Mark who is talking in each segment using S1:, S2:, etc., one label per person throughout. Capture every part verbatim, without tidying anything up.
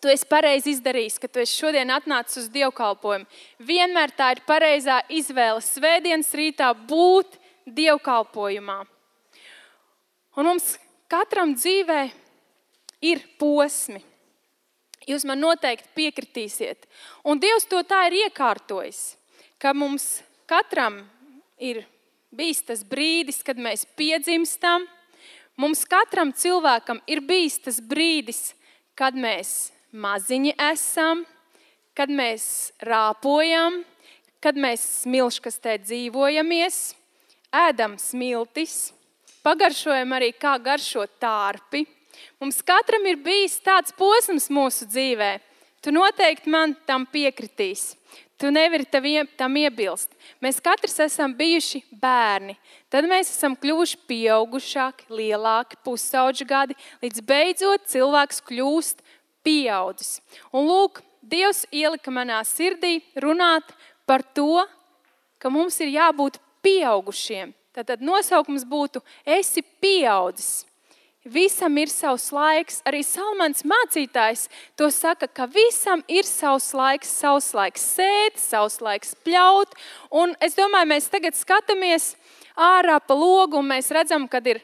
S1: tu esi pareizi izdarījis, ka tu esi šodien atnācis uz dievkalpojumu. Vienmēr tā ir pareizā izvēle svētdienas rītā būt dievkalpojumā. Un mums katram dzīvē ir posmi. Jūs man noteikti piekritīsiet. Un Dievs to tā ir iekārtojis, ka mums katram ir bijis tas brīdis, kad mēs piedzimstam. Mums katram cilvēkam ir bijis tas brīdis, kad mēs maziņi esam, kad mēs rāpojam, kad mēs smilškastē dzīvojamies, ēdam smiltis, pagaršojam arī, kā garšo tārpi. Mums katram ir bijis tāds posms mūsu dzīvē. Tu noteikti man tam piekritīs. Tu nevari tam iebilst. Mēs katrs esam bijuši bērni. Tad mēs esam kļuvuši pieaugušāki, lielāki, pusauģu gadi, līdz beidzot cilvēks kļūst pieaudzis. Un lūk, Dievs ielika manā sirdī runāt par to, ka mums ir jābūt pieaugušiem. Tātad nosaukums būtu esi pieaudzis. Visam ir savs laiks. Arī Salmans mācītājs to saka, ka visam ir savs laiks, savs laiks sēt, savs laiks pļaut. Un es domāju, mēs tagad skatāmies ārā pa logu un mēs redzam, kad ir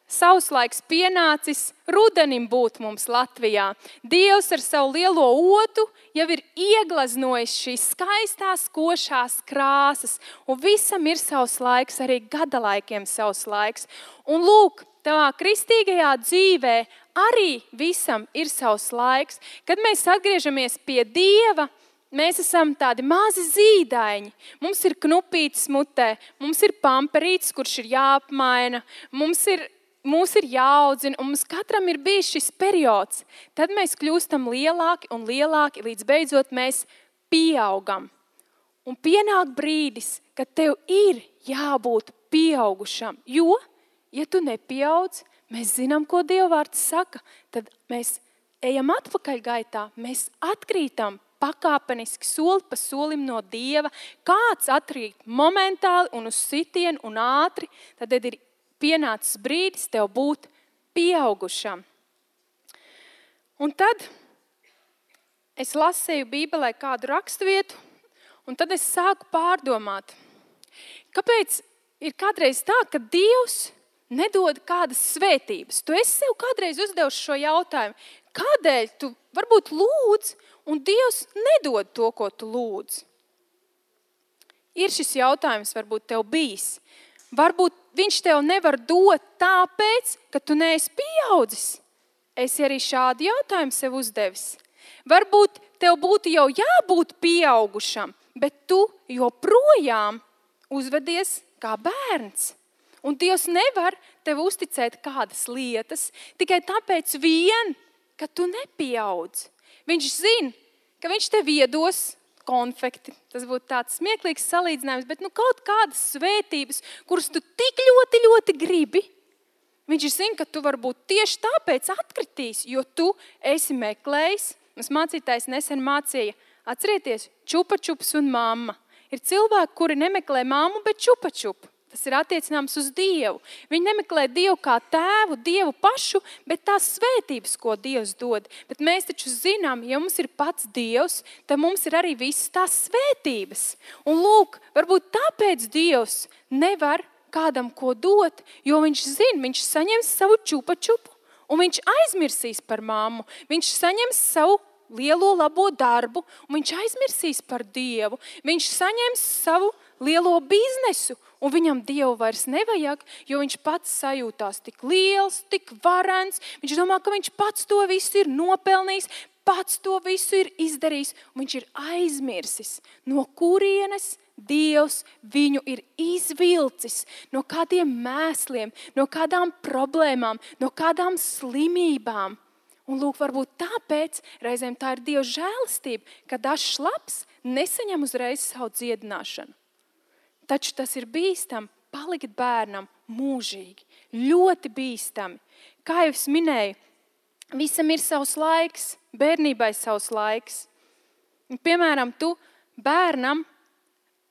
S1: savs laiks pienācis rudenim būt mums Latvijā. Dievs ar savu lielo otu jau ir ieglaznojis šīs skaistās, košās krāsas. Un visam ir savs laiks, arī gadalaikiem savs laiks. Un lūk, tavā kristīgajā dzīvē arī visam ir savs laiks. Kad mēs atgriežamies pie Dieva, mēs esam tādi mazi zīdaiņi. Mums ir knupītis mutē, mums ir pamperītis, kurš ir jāapmaina, mums ir, mums ir jāaudzina, un mums katram ir bijis šis periods. Tad mēs kļūstam lielāki un lielāki, līdz beidzot mēs pieaugam. Un pienāk brīdis, kad tev ir jābūt pieaugušam, jo ja tu nepieaudz, mēs zinām, ko Dieva vārds saka, tad mēs ejam atpakaļ gaitā, mēs atkrītam pakāpeniski soli pa solim no Dieva. Kāds atkrīt momentāli un uz sitienu un ātri, tad ir pienācis brīdis tev būt pieaugušam. Un tad es lasēju Bībelē kādu raksturvietu, un tad es sāku pārdomāt, kāpēc ir kādreiz tā, ka Dievs nedod kādas svētības. Tu esi sev kādreiz uzdevuši šo jautājumu. Kādēļ tu varbūt lūdz, un Dievs nedod to, ko tu lūdz? Ir šis jautājums varbūt tev bijis. Varbūt viņš tev nevar dot tāpēc, ka tu neesi pieaudzis. Esi arī šādu jautājumu sev uzdevis. Varbūt tev būtu jau jābūt pieaugušam, bet tu joprojām uzvedies kā bērns. Un Dievs nevar tev uzticēt kādas lietas tikai tāpēc vien, ka tu nepieaudz. Viņš zina, ka viņš tev iedos konfekti. Tas būtu tāds smieklīgs salīdzinājums, bet nu kaut kādas svētības, kuras tu tik ļoti, ļoti gribi, viņš zina, ka tu varbūt tieši tāpēc atkritīs, jo tu esi meklējis. Mums mācītājs nesen mācīja, atcerieties, čupa-čups un mamma. Ir cilvēki, kuri nemeklē mammu, bet čupa-čupu. Tas ir attiecināms uz Dievu. Viņi nemeklē Dievu kā tēvu, Dievu pašu, bet tās svētības, ko Dievs dod. Bet mēs taču zinām, ja mums ir pats Dievs, tad mums ir arī visas tās svētības. Un lūk, varbūt tāpēc Dievs nevar kādam ko dot, jo viņš zina, viņš saņems savu čupa-čupu, un viņš aizmirsīs par mammu. Viņš saņems savu lielo labo darbu, un viņš aizmirsīs par Dievu. Viņš saņems savu lielo biznesu, un viņam Dievu vairs nevajag, jo viņš pats sajūtās tik liels, tik varens. Viņš domā, ka viņš pats to visu ir nopelnījis, pats to visu ir izdarījis, un viņš ir aizmirsis, no kurienes Dievs viņu ir izvilcis, no kādiem mēsliem, no kādām problēmām, no kādām slimībām. Un lūk, varbūt tāpēc reizēm tā ir Dieva žēlastība, ka dažs labs nesaņem uzreiz savu dziedināšanu. Taču tas ir bīstami palikt bērnam mūžīgi, ļoti bīstami. Kā jau es minēju, visam ir savs laiks, bērnībai savs laiks. Piemēram, tu bērnam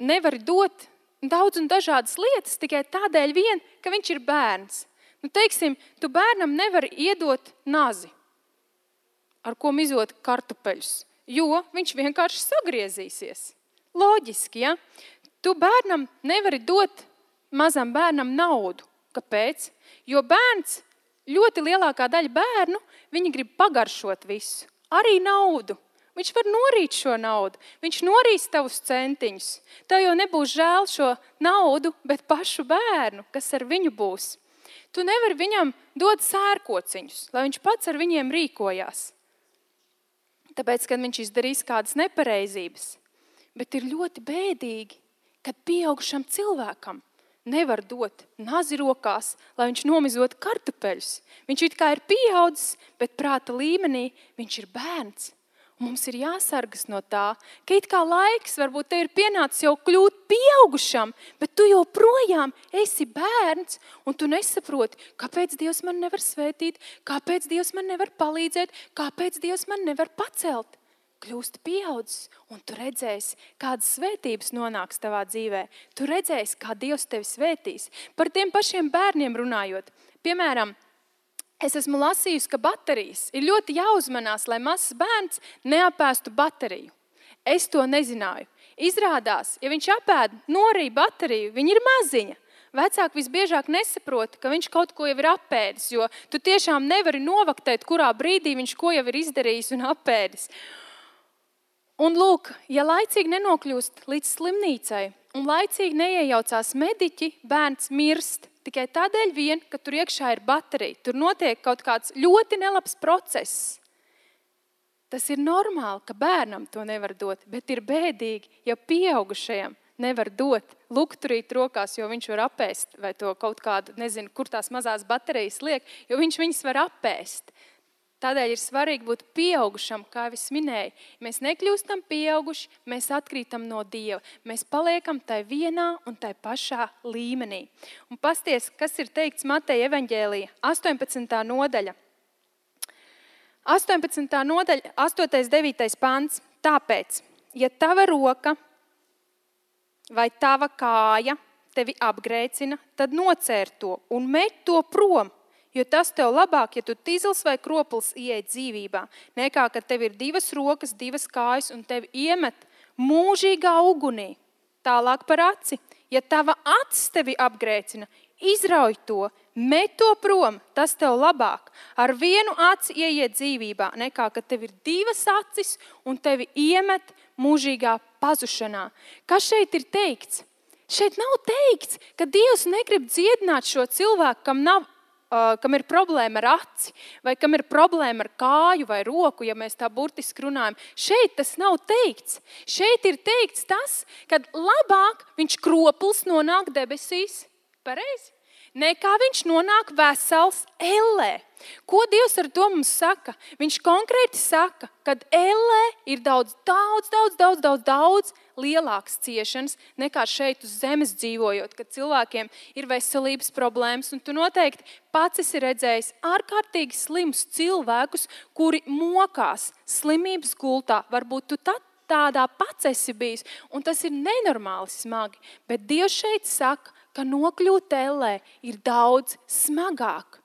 S1: nevari dot daudz un dažādas lietas tikai tādēļ vien, ka viņš ir bērns. Nu, teiksim, tu bērnam nevari iedot nazi. ar ko mizot kartupeļus, jo viņš vienkārši sagriezīsies. Loģiski, ja? Tu bērnam nevari dot mazam bērnam naudu. Kāpēc? Jo bērns, ļoti lielākā daļa bērnu, viņi grib pagaršot visu. Arī naudu. Viņš var norīt šo naudu. Viņš norīs tavus centiņus. Tev jau nebūs žēl šo naudu, bet pašu bērnu, kas ar viņu būs. Tu nevari viņam dot sērkociņus, lai viņš pats ar viņiem rīkojās. Tāpēc, kad viņš izdarīs kādas nepareizības. Bet ir ļoti bēdīgi, kad pieaugušam cilvēkam nevar dot nazi rokās, lai viņš nomizot kartupeļus. Viņš it kā ir pieaudzis, bet prāta līmenī viņš ir bērns. Un mums ir jāsargas no tā, ka it kā laiks varbūt te ir pienācis jau kļūt pieaugušam, bet tu joprojām esi bērns un tu nesaproti, kāpēc Dievs man nevar svētīt, kāpēc Dievs man nevar palīdzēt, kāpēc Dievs man nevar pacelt. Kļūsti pieaudzis un tu redzēsi, kādas svētības nonāks tavā dzīvē. Tu redzēsi, kā Dievs tevi svētīs. Par tiem pašiem bērniem runājot. Piemēram, es esmu lasījusi, ka baterijas ir ļoti jāuzmanās, lai mazs bērns neapēstu bateriju. Es to nezināju. Izrādās, ja viņš apēd norī bateriju, viņa ir maziņa. Vecāki visbiežāk nesaprot, ka viņš kaut ko jau ir apēdis, jo tu tiešām nevari novaktēt, kurā brīdī viņš ko jau ir izdarījis un apēdis. Un lūk, ja laicīgi nenokļūst līdz slimnīcai un laicīgi neiejaucās mediķi, bērns mirst. Tikai tādēļ vien, ka tur iekšā ir baterija. Tur notiek kaut kāds ļoti nelabs process. Tas ir normāli, ka bērnam to nevar dot, bet ir bēdīgi, ja pieaugušajam nevar dot lukturīt rokās, jo viņš var apēst, vai to kaut kādu, nezinu, kur tās mazās baterijas liek, jo viņš viņas var apēst. Tādēļ ir svarīgi būt pieaugušam, kā es minēju. Mēs nekļūstam pieauguši, mēs atkrītam no Dieva. Mēs paliekam tai vienā un tai pašā līmenī. Un pasties, kas ir teikts Mateja evaņģēlija, astoņpadsmitā nodaļa. astoņpadsmitā nodaļa, astotais devītais pants. Tāpēc, ja tava roka vai tava kāja tevi apgrēcina, tad nocēr to un met to prom. Jo tas tev labāk, ja tu tīzls vai kropls ieej dzīvībā, nekā, ka tev ir divas rokas, divas kājas un tevi iemet mūžīgā ugunī. Tālāk par aci. Ja tava acis tevi apgrēcina, izrauj to, met to prom, tas tev labāk. Ar vienu aci ieiet dzīvībā, nekā, ka tev ir divas acis un tevi iemet mūžīgā pazušanā. Kas šeit ir teikts? Šeit nav teikts, ka Dievs negrib dziedināt šo cilvēku, kam nav Uh, kam ir problēma ar aci, vai kam ir problēma ar kāju vai roku, ja mēs tā burtiski runājam. Šeit tas nav teikts. Šeit ir teikts tas, kad labāk viņš kropls nonāk debesīs, pareizi, nekā viņš nonāk vesels ellē. Ko Dievs ar to mums saka? Viņš konkrēti saka, kad ellē ir daudz, daudz, daudz, daudz, daudz, daudz lielākas ciešanas nekā šeit uz zemes dzīvojot, kad cilvēkiem ir veselības problēmas. Un tu noteikti pats esi redzējis ārkārtīgi slimus cilvēkus, kuri mokās slimības gultā. Varbūt tu tā, tādā pats esi bijis, un tas ir nenormāli smagi. Bet Dievs šeit saka, ka nokļūt ellē ir daudz smagāk.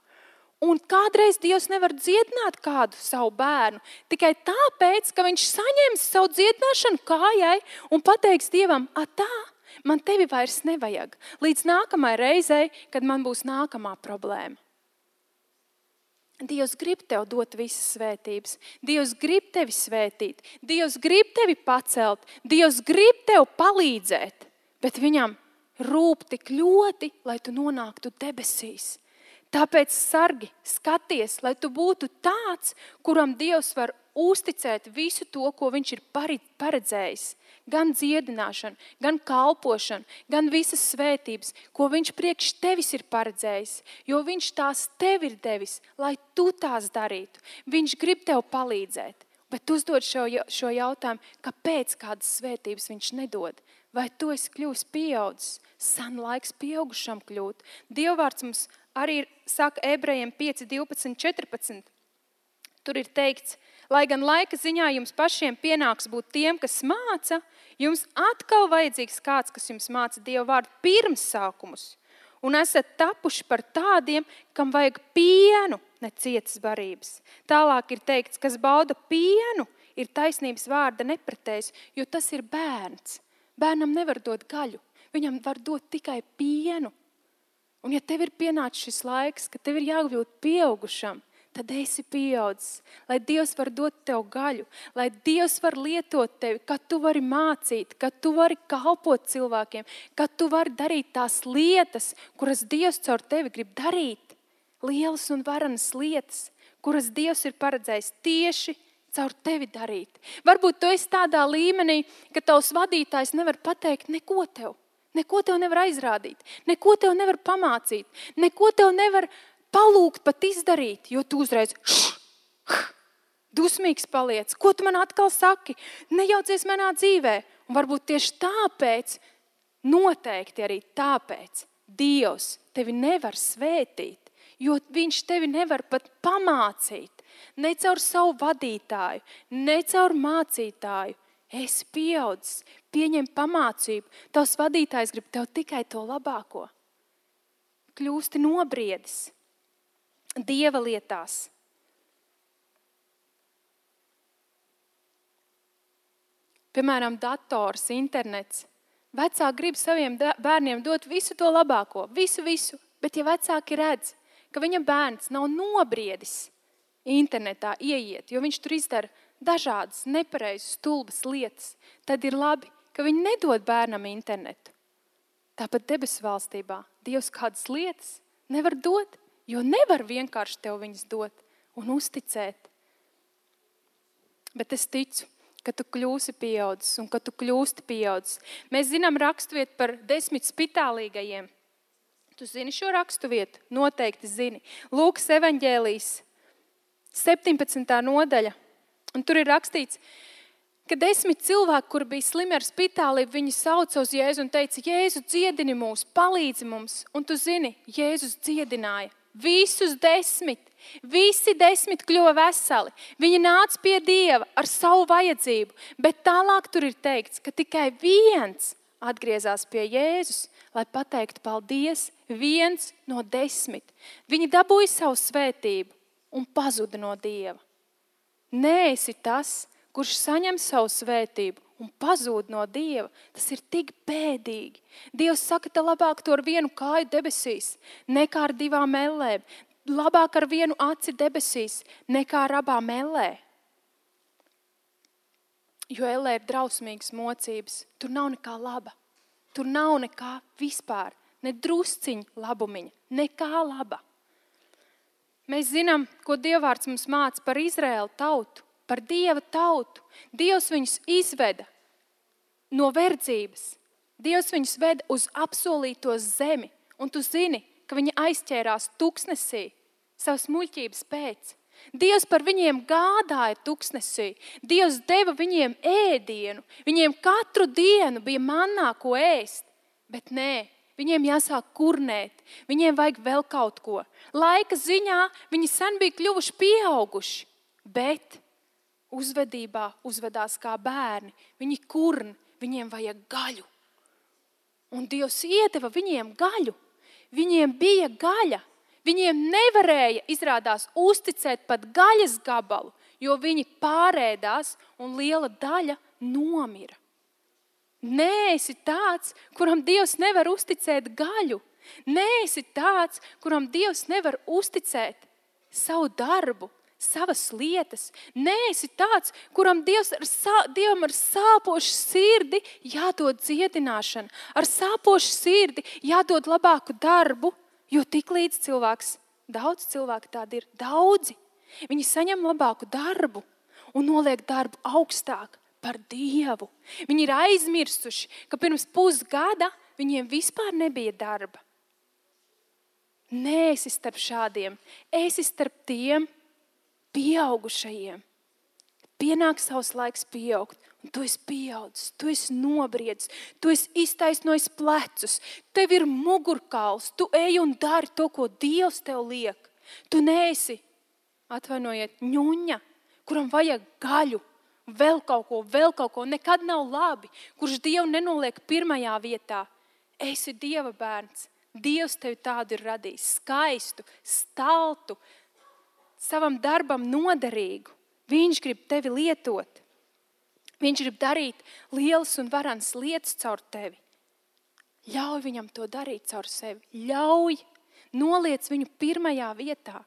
S1: Un kādreiz Dievs nevar dziedināt kādu savu bērnu tikai tāpēc, ka viņš saņems savu dziedināšanu kājai un pateiks Dievam, a tā, man tevi vairs nevajag. Līdz nākamai reizei, kad man būs nākamā problēma. Dievs grib tev dot visas svētības. Dievs grib tevi svētīt. Dievs grib tevi pacelt. Dievs grib tev palīdzēt. Bet viņam rūp tik ļoti, lai tu nonāktu debesīs. Tāpēc sargi, skaties, lai tu būtu tāds, kuram Dievs var uzticēt visu to, ko viņš ir paredzējis. Gan dziedināšanu, gan kalpošanu, gan visas svētības, ko viņš priekš tevis ir paredzējis. Jo viņš tās tev ir devis, lai tu tās darītu. Viņš grib tev palīdzēt. Bet uzdod šo, šo jautājumu, kāpēc kādas svētības viņš nedod? Vai tu esi kļūst pieaudzis? San laiks pieaugušam kļūt. Dievvārds mums arī saka Ebrejiem pieci, divpadsmit, četrpadsmit. Tur ir teikts, lai gan laika ziņā jums pašiem pienāks būt tiem, kas māca, jums atkal vajadzīgs kāds, kas jums māca Dievu vārdu pirms sākumus. Un esat tapuši par tādiem, kam vajag pienu, ne cietas barības. Tālāk ir teikts, kas bauda pienu, ir taisnības vārda nepratējs, jo tas ir bērns. Bērnam nevar dot gaļu, viņam var dot tikai pienu. Un ja tev ir pienācis šis laiks, ka tev ir jākļūt pieaugušam, tad esi pieaudzis, lai Dievs var dot tev gaļu, lai Dievs var lietot tevi, kad tu vari mācīt, kad tu vari kalpot cilvēkiem, kad tu vari darīt tās lietas, kuras Dievs caur tevi grib darīt. Lielas un varenas lietas, kuras Dievs ir paredzējis tieši caur tevi darīt. Varbūt tu esi tādā līmenī, ka tavs vadītājs nevar pateikt neko tev, neko tev nevar aizrādīt, neko tev nevar pamācīt, neko tev nevar palūgt pat izdarīt, jo tu uzreiz š, š, dusmīgs paliec. Ko tu man atkal saki? Nejaucies manā dzīvē. Un varbūt tieši tāpēc, noteikti arī tāpēc, Dievs tevi nevar svētīt, jo viņš tevi nevar pat pamācīt. Ne caur savu vadītāju, ne caur mācītāju. Esi pieaudzis, pieņem pamācību. Tavs vadītājs grib tev tikai to labāko. Kļūsti nobriedis. Dieva lietās. Piemēram, dators, internets. Vecāki grib saviem bērniem dot visu to labāko, visu, visu. Bet ja vecāki redz, ka viņa bērns nav nobriedis internetā ieiet, jo viņš tur izdara dažādas nepareizas, stulbas lietas, tad ir labi, ka viņi nedod bērnam internetu. Tāpat debesu valstībā Dievs kādas lietas nevar dot, jo nevar vienkārši tev viņas dot un uzticēt. Bet es ticu, ka tu kļūsi pieaudzis un ka tu kļūsti pieaudzis. Mēs zinām raksturvietu par desmit spitālīgajiem. Tu zini šo raksturvietu? Noteikti zini. Lūkas evaņģēlijas septiņpadsmitā nodaļa. Un tur ir rakstīts, ka desmit cilvēki, kur bija slimi ar spitālību, viņi sauca uz Jēzu un teica, Jēzu, dziedini mūs, palīdzi mums. Un tu zini, Jēzus dziedināja. Visus desmit, visi desmit kļuva veseli. Viņi nāca pie Dieva ar savu vajadzību, bet tālāk tur ir teikts, ka tikai viens atgriezās pie Jēzus, lai pateiktu paldies, viens no desmit. Viņi dabūja savu svētību un pazuda no Dieva. Neesi tas, kurš saņem savu svētību un pazūd no Dieva. Tas ir tik bēdīgi. Dievs saka, te labāk to ar vienu kāju debesīs, nekā ar divām ellēm. Labāk ar vienu aci debesīs, nekā ar abām ellē. Jo ellē ir drausmīgas mocības. Tur nav nekā laba. Tur nav nekā vispār. Ne drusciņa labumiņa. Nekā laba. Mēs zinām, ko Dievvārds mums māca par Izraēlu tautu. Par Dieva tautu. Dievs viņus izveda no verdzības. Dievs viņus veda uz apsolīto zemi. Un tu zini, ka viņi aizķērās tuksnesī savas muļķības pēc. Dievs par viņiem gādāja tuksnesī. Dievs deva viņiem ēdienu. Viņiem katru dienu bija mannā, ko ēst. Bet nē, viņiem jāsāk kurnēt. Viņiem vajag vēl kaut ko. Laika ziņā viņi sen bija kļuvuši pieauguši. Bet uzvedībā uzvedās kā bērni. Viņi kurn, viņiem vajag gaļu. Un Dievs iedeva viņiem gaļu. Viņiem bija gaļa. Viņiem nevarēja, izrādās, uzticēt pat gaļas gabalu, jo viņi pārēdās un liela daļa nomira. Neesi tāds, kuram Dievs nevar uzticēt gaļu. Neesi tāds, kuram Dievs nevar uzticēt savu darbu, savas lietas. Neesi tāds, kuram Dievs ar, sā, Dievam ar sāpošu sirdi jādod dziedināšana. Ar sāpošu sirdi jādod labāku darbu, jo tik līdz cilvēks, daudz cilvēku tādi ir, daudzi. Viņi saņem labāku darbu un noliek darbu augstāk par Dievu. Viņi ir aizmirsuši, ka pirms pusgada viņiem vispār nebija darba. Nē, esi starp šādiem, esi starp tiem pieaugušajiem. Pienāk savs laiks pieaugt, un tu esi pieaudzis, tu esi nobriedis, tu esi iztaisnojis plecus, tev ir mugurkauls, tu ej un dari to, ko Dievs tev liek. Tu neesi, atvainojiet, ņuņa, kuram vajag gaļu, vēl kaut ko, vēl kaut ko, nekad nav labi, kurš Dievu nenoliek pirmajā vietā. Esi Dieva bērns, Dievs tevi tādu ir radījis, skaistu, staltu, savam darbam noderīgu. Viņš grib tevi lietot. Viņš grib darīt lielas un varenas lietas caur tevi. Ļauj viņam to darīt caur sevi. Ļauj, noliec viņu pirmajā vietā.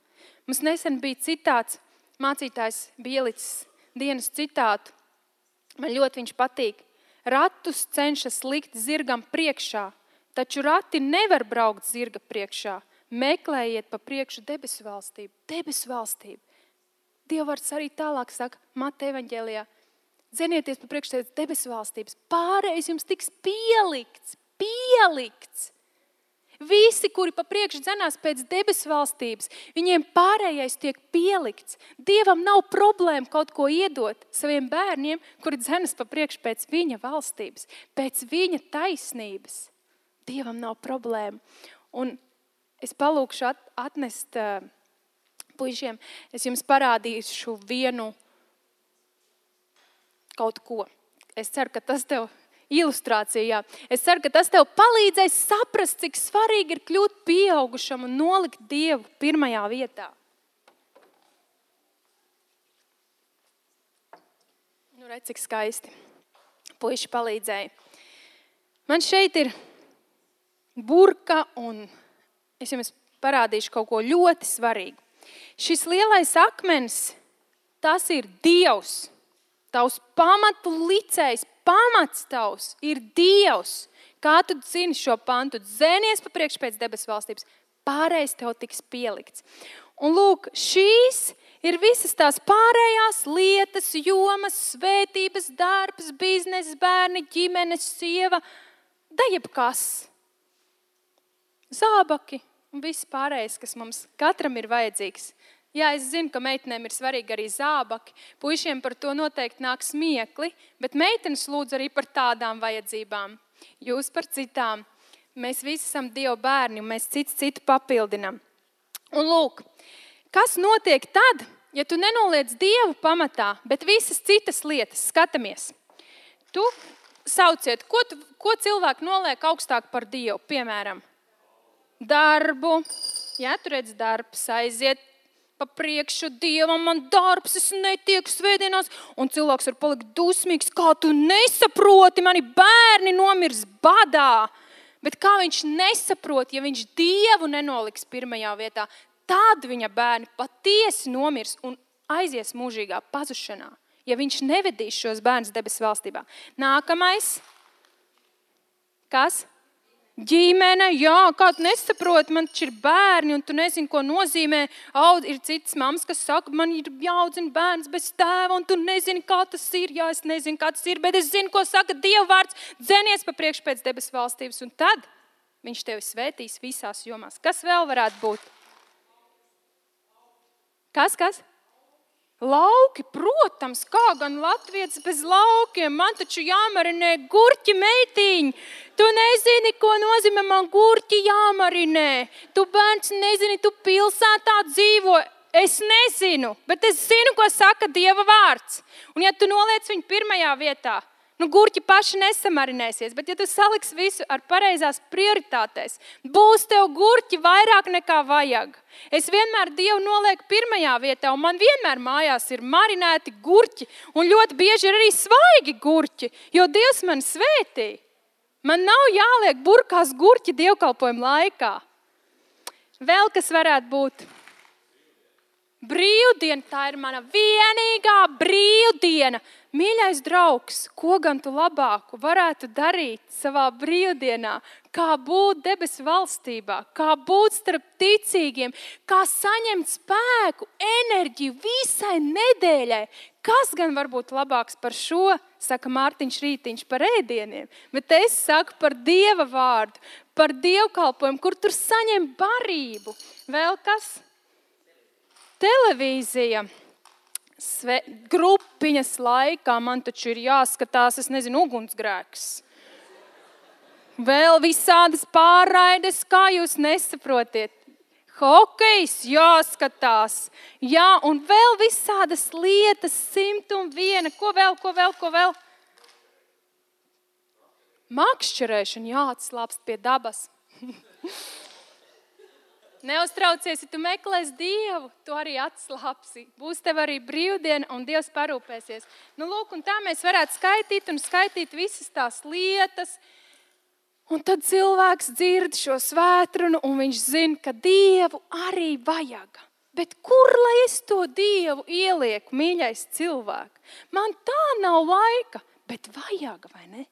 S1: Mums nesen bija citāts, mācītājs bija ielicis dienas citātu. Man ļoti viņš patīk. Ratus cenšas likt zirgam priekšā, taču rati nevar braukt zirga priekšā. Meklējiet pa priekšu debesu valstību. Debesu valstību. Dievvārds arī tālāk saka, Mata evaņģēlijā. Dzenieties pa priekšu debesu valstības. Pārējais jums tiks pielikts. Pielikts. Visi, kuri pa priekšu dzenās pēc debesu valstības, viņiem pārējais tiek pielikts. Dievam nav problēma kaut ko iedot saviem bērniem, kuri dzenas pa priekšu pēc viņa valstības, pēc viņa taisnības. Dievam nav problēma. Un es palūkšu at, atnest uh, puišiem, es jums parādīšu vienu kaut ko. Es ceru, ka tas tev ilustrācijā. Es ceru, ka tas tev palīdzēs saprast, cik svarīgi ir kļūt pieaugušam un nolikt Dievu pirmajā vietā. Nu, redz, cik skaisti. Puiši palīdzēja. Man šeit ir burka un es jums parādīšu kaut ko ļoti svarīgu. Šis lielais akmens, tas ir Dievs. Tavs pamatu licējs, pamats tavs ir Dievs. Kā tu zini šo pantu? Dzenies pa priekšu pēc debesu valstības. Pārējais tev tiks pielikts. Un lūk, šīs ir visas tās pārējās lietas, jomas, svētības, darbs, biznesa, bērni, ģimenes, sieva, da jebkas. Zābaki un viss pārējais, kas mums katram ir vajadzīgs. Jā, es zinu, ka meitenēm ir svarīgi arī zābaki. Puišiem par to noteikti nāk smiekli, bet meitenes lūdz arī par tādām vajadzībām. Jūs par citām. Mēs visi esam Dieva bērni un mēs cits citu papildinam. Un lūk, kas notiek tad, ja tu nenoliec Dievu pamatā, bet visas citas lietas? Skatamies. Tu sauciet, ko, tu, ko cilvēki noliek augstāk par Dievu? Piemēram, darbu. Jā, tu redz darbs, aiziet pa priekšu Dievam, man darbs, es netieku svētdienās, un cilvēks var palikt dusmīgs, kā tu nesaproti, mani bērni nomirs badā. Bet kā viņš nesaprot, ja viņš Dievu nenoliks pirmajā vietā, tad viņa bērni patiesi nomirs un aizies mūžīgā pazušanā, ja viņš nevedīs šos bērnus debesu valstībā. Nākamais. Kas? Ģimene, jā, kā tu nesaproti, man taču ir bērni un tu nezini, ko nozīmē. Aud, ir citas mammas, kas saka, man ir jāaudzina bērns bez tēva un tu nezini, kā tas ir. Jā, es nezinu, kā tas ir, bet es zinu, ko saka Dieva vārds. Dzenies pa priekšu pēc debesu valstības un tad viņš tevi svētīs visās jomās. Kas vēl varētu būt? Kas, kas? Lauki, protams, kā gan latvietis bez laukiem, man taču jāmarinē gurķi meitiņi. Tu nezini, ko nozīmē man gurķi jāmarinē. Tu bērns nezini, tu pilsētā dzīvo. Es nezinu, bet es zinu, ko saka Dieva vārds. Un ja tu noliec viņu pirmajā vietā, nu gurķi paši nesamarinēsies, bet ja tu saliksi visu ar pareizās prioritātēs, būs tev gurķi vairāk nekā vajag. Es vienmēr Dievu nolieku pirmajā vietā, un man vienmēr mājās ir marinēti gurķi, un ļoti bieži ir arī svaigi gurķi, jo Dievs man svētī. Man nav jāliek burkās gurķi dievkalpojuma laikā. Vēl kas varētu būt? Brīvdiena, tā ir mana vienīgā brīvdiena. Mīļais draugs, ko gan tu labāku varētu darīt savā brīvdienā, kā būt debesu valstībā, kā būt starp ticīgiem, kā saņemt spēku, enerģiju visai nedēļai. Kas gan var būt labāks par šo, saka Mārtiņš Rītiņš, par ēdieniem, bet es saku par Dieva vārdu, par dievkalpojumu, kur tur saņem barību. Vēl kas? Televīzija. Sve, grupiņas laikā man taču ir jāskatās, es nezinu, ugunsgrēks. Vēl visādas pārraides, kā jūs nesaprotiet. Hokejs jāskatās. Jā, un vēl visādas lietas, simt un viena. Ko vēl, ko vēl, ko vēl? Makšķerēšana jāatslāpst pie dabas. Neuztraucies, ja tu meklēsi Dievu, tu arī atslāpsi. Būs tev arī brīvdiena un Dievs parūpēsies. Nu, lūk, un tā mēs varētu skaitīt un skaitīt visas tās lietas. Un tad cilvēks dzird šo svētrunu un viņš zina, ka Dievu arī vajag. Bet kur lai es to Dievu ielieku, mīļais cilvēks? Man tā nav laika, bet vajag, vai ne?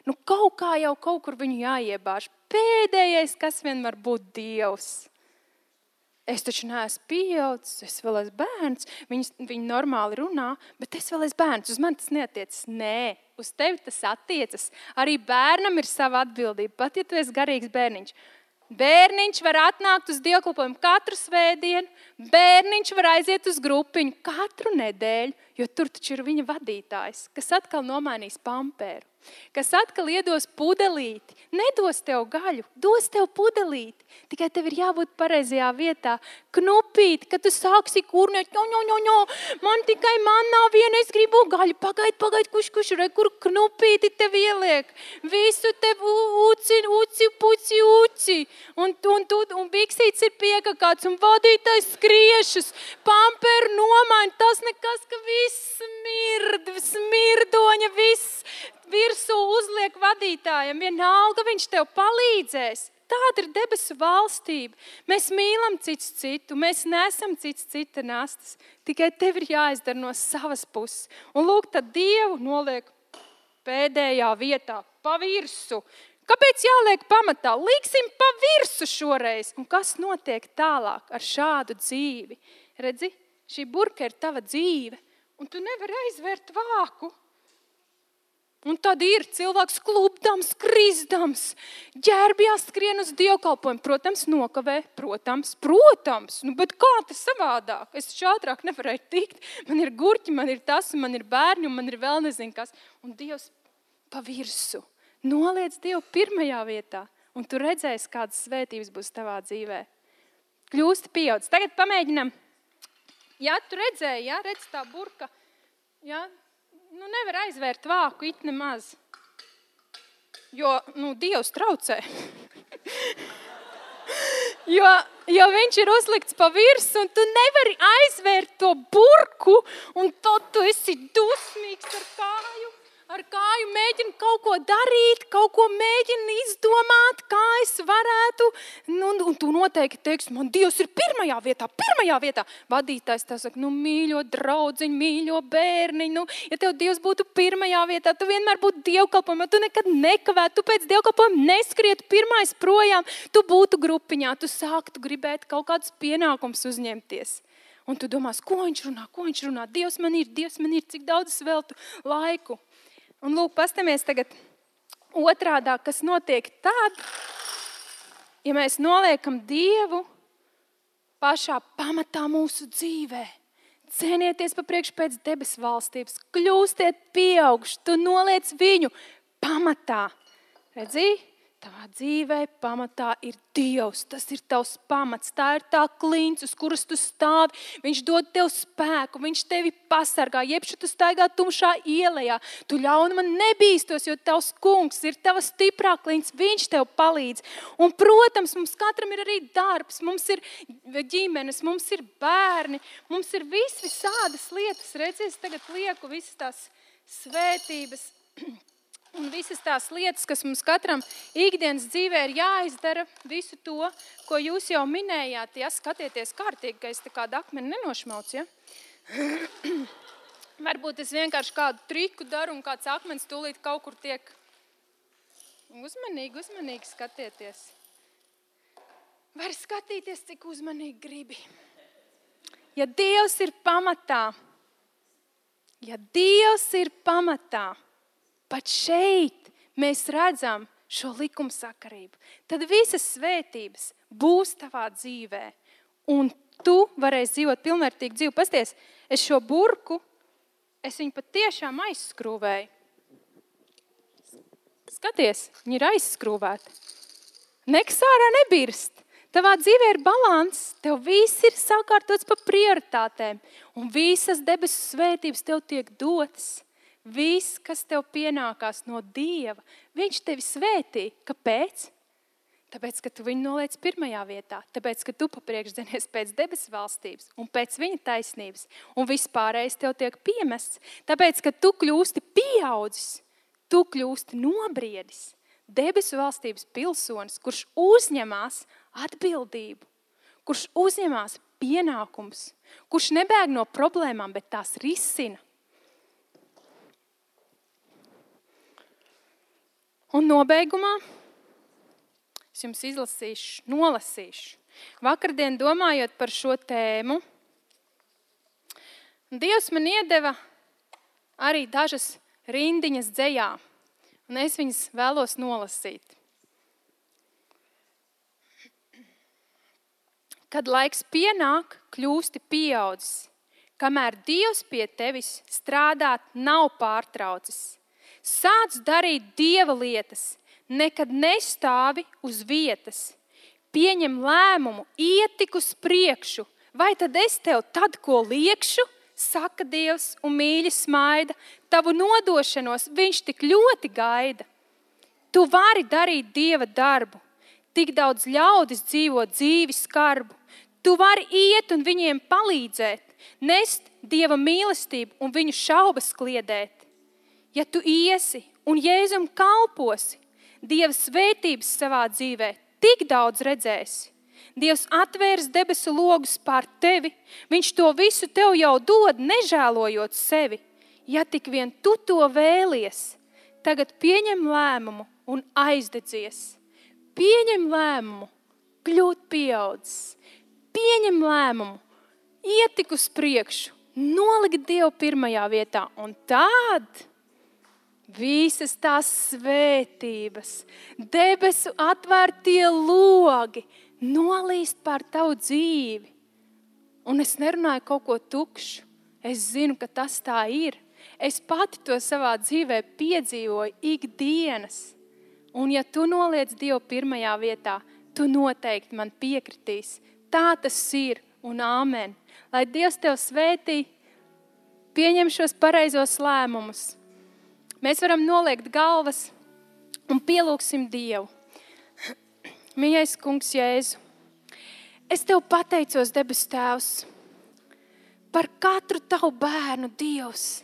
S1: Nu, kaut kā jau kaut kur viņu jāiebāž. Pēdējais, kas vien var būt Dievs. Es taču neesmu pieaudzis, es vēl esmu bērns, viņi, viņi normāli runā, bet es vēl esmu bērns, uz mani tas neatiecas. Nē, uz tevi tas attiecas. Arī bērnam ir sava atbildība, pat ja tu esi garīgs bērniņš. Bērniņš var atnākt uz dievkalpojumu katru svētdienu, bērniņš var aiziet uz grupiņu katru nedēļu, jo tur taču ir viņa vadītājs, kas atkal nomainīs pamperu. Kas atkal iedos pudelīti, nedos tev gaļu, dos tev pudelīti. Tikai tev ir jābūt pareizajā vietā. Knupīt, kad tu sāksi kurnēt, ņo, ņo, ņo, ņo, man tikai man nav viena, es gribu gaļu. Pagaid, pagaid, kuš, kuš, re, kur knupīti tev ieliek. Visu tev uci, uci, puci, uci. Un, un, un, un biksīts ir piekakāts, un vadītājs skriešus. Pamperu nomaina, tas nekas, ka viss smird, smirdoņa, viss. Virsū uzliek vadītājiem, vienalga viņš tev palīdzēs. Tāda ir debesu valstība. Mēs mīlam cits citu, mēs nesam cits cita nastas. Tikai tev ir jāizdara no savas puses. Un lūk, tad Dievu noliek pēdējā vietā, pa virsu. Kāpēc jāliek pamatā? Liksim pa virsu šoreiz. Un kas notiek tālāk ar šādu dzīvi? Redzi, šī burka ir tava dzīve, un tu nevari aizvērt vāku. Un tad ir cilvēks klubdams, krizdams, ģērbjās skrien uz dievkalpojumu. Protams, nokavē, protams, protams. Nu, bet kā tas savādāk? Es ātrāk nevarēju tikt. Man ir gurķi, man ir tas, man ir bērni, un man ir vēl nezinu kas. Un Dievs pa virsu. Noliec Dievu pirmajā vietā. Un tu redzēsi, kādas svētības būs tavā dzīvē. Kļūsti pieaudzis. Tagad pamēģinam. Ja tu redzēji, ja, redz tā burka, ja, nu, nevar aizvērt vāku it nemaz, jo, nu, Dievs traucē. jo, jo viņš ir uzlikts pa virsu, un tu nevari aizvērt to burku, un tad tu esi dusmīgs ar kāju. Ar kāju mēģinu kaut ko darīt, kaut ko mēģinu izdomāt, kā es varētu. Nu, un tu noteikti teiksi, man Dievs ir pirmajā vietā, pirmajā vietā. Vadītājs tā saka, nu mīļo draudziņu, mīļo bērniņu. Nu, ja tev Dievs būtu pirmajā vietā, tu vienmēr būtu dievkalpojumā, tu nekad nekavētu, tu pēc dievkalpojuma neskrietu pirmais projām, tu būtu grupiņā, tu sāktu gribēt kaut kādus pienākumus uzņemties. Un tu domās, ko viņš runā, ko viņš runā, Dievs man ir, Dievs man ir, cik daudz es veltu laiku. Un lūk, pastamies tagad otrādā, kas notiek tad, ja mēs noliekam Dievu pašā pamatā mūsu dzīvē. Cenieties pa priekšu pēc debesu valstības, kļūstiet pieaugši, tu noliec viņu pamatā. Redzi? Tavā dzīvē pamatā ir Dievs, tas ir tavs pamats, tā ir tā klints, uz kuras tu stāvi. Viņš dod tev spēku, viņš tevi pasargā, jebšu tu staigā tumšā ielejā. Tu ļaunuma nebīstos, jo tavs kungs ir tava stiprā klints, viņš tev palīdz. Un, protams, mums katram ir arī darbs, mums ir ģimenes, mums ir bērni, mums ir vis visādas lietas. Redzies, tagad lieku visas tās svētības. Un visas tās lietas, kas mums katram ikdienas dzīvē ir jāizdara, visu to, ko jūs jau minējāt, ja skatieties kārtīgi, ka es te kādu akmeni nenošmaucu, ja? Varbūt es vienkārši kādu triku daru un kāds akmens tūlīt kaut kur tiek. Uzmanīgi, uzmanīgi skatieties. Var skatīties, cik uzmanīgi gribi. Ja Dievs ir pamatā, ja Dievs ir pamatā, pat šeit mēs redzam šo likumsakarību. Tad visas svētības būs tavā dzīvē. Un tu varēsi dzīvot pilnvērtīgu dzīvi. Pasties, es šo burku, es viņu pat tiešām aizskrūvēju. Skaties, viņa ir aizskrūvēta. Nekas ārā nebirst. Tavā dzīvē ir balans. Tev viss ir sakārtots pa prioritātēm. Un visas debesu svētības tev tiek dotas. Viss, kas tev pienākās no Dieva, viņš tevi svētī. Kāpēc? Tāpēc, ka tu viņu noliec pirmajā vietā. Tāpēc, ka tu papriekš dzenies pēc debesu valstības un pēc viņa taisnības. Un vispārējais tev tiek piemests. Tāpēc, ka tu kļūsti pieaudzis, tu kļūsti nobriedis. Debesu valstības pilsonis, kurš uzņemās atbildību, kurš uzņemās pienākums, kurš nebēg no problēmām, bet tās risina. Un nobeigumā es jums izlasīšu, nolasīšu. Vakardien domājot par šo tēmu, Dievs man iedeva arī dažas rindiņas dzejā, un es viņas vēlos nolasīt. Kad laiks pienāk, kļūsti pieaudzis, kamēr Dievs pie tevis strādāt nav pārtraucis. Sāc darīt Dieva lietas, nekad nestāvi uz vietas. Pieņem lēmumu, iet tik uz priekšu. Vai tad es tev tad, ko liekšu? Saka Dievs un mīļi smaida. Tavu nodošanos viņš tik ļoti gaida. Tu vari darīt Dieva darbu. Tik daudz ļaudis dzīvo dzīvi skarbu. Tu vari iet un viņiem palīdzēt. Nest Dieva mīlestību un viņu šaubas kliedēt. Ja tu iesi un Jēzum kalposi, Dieva svētības savā dzīvē tik daudz redzēsi. Dievs atvērs debesu logus pār tevi, viņš to visu tev jau dod, nežēlojot sevi. Ja tik vien tu to vēlies, tagad pieņem lēmumu un aizdedzies. Pieņem lēmumu, kļūt pieaudzis. Pieņem lēmumu, iet tik uz priekšu, nolikt Dievu pirmajā vietā un tad visas tās svētības, debesu atvērtie logi nolīst pār tavu dzīvi. Un es nerunāju kaut ko tukšu. Es zinu, ka tas tā ir. Es pati to savā dzīvē piedzīvoju ikdienas. Un ja tu noliec Dievu pirmajā vietā, tu noteikti man piekritīs. Tā tas ir un āmen. Lai Dievs tev svētī, pieņem šos pareizos lēmumus. Mēs varam noliekt galvas un pielūgsim Dievu. Mīļais kungs Jēzu, es tev pateicos, debes Tēvs, par katru tavu bērnu, Dievs.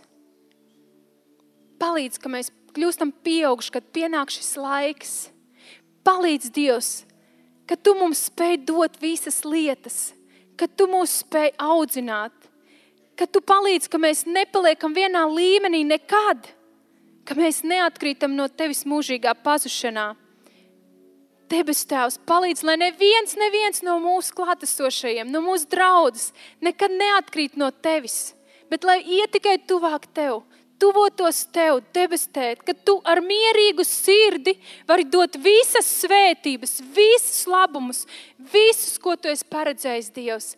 S1: Palīdz, ka mēs kļūstam pieauguši, kad pienāk šis laiks. Palīdz, Dievs, ka tu mums spēj dot visas lietas, ka tu mūs spēj audzināt, ka tu palīdz, ka mēs nepaliekam vienā līmenī nekad, ka mēs neatkrītam no tevis mūžīgā pazušanā. Debes Tēvs, palīdz, lai neviens, neviens no mūsu klātesošajiem, no mūsu draudzes nekad neatkrīt no tevis, bet lai iet tikai tuvāk tev, tuvotos tev, debes Tēt, ka tu ar mierīgu sirdi vari dot visas svētības, visus labumus, visus, ko tu esi paredzējis, Dievs,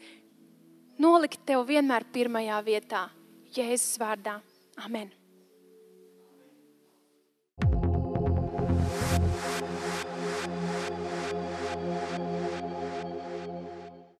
S1: nolikt tev vienmēr pirmajā vietā. Jēzus vārdā. Amen.